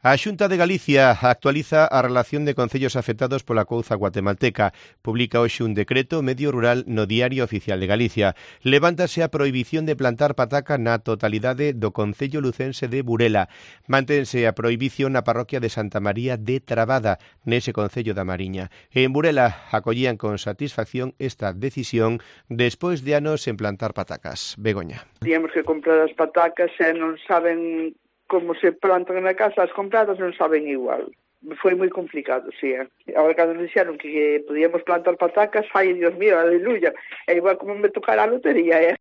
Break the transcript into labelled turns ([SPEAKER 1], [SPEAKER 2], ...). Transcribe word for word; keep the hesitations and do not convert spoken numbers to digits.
[SPEAKER 1] A Xunta de Galicia actualiza a relación de concellos afectados pola couza guatemalteca. Publica hoxe un decreto medio rural no Diario Oficial de Galicia. Levántase a prohibición de plantar pataca na totalidade do concello lucense de Burela. Mantense a prohibición na parroquia de Santa María de Trabada, nese concello da Mariña. En Burela acollían con satisfacción esta decisión despois de anos en plantar patacas. Begoña.
[SPEAKER 2] Tíamos que comprar as patacas e non saben como se plantan na casa, as compradas non saben igual. Foi moi complicado, sí. Eh? Agora, cando nos dixeron que podíamos plantar patacas, ai, Dios mío, aleluya, é igual como me tocara a lotería, eh?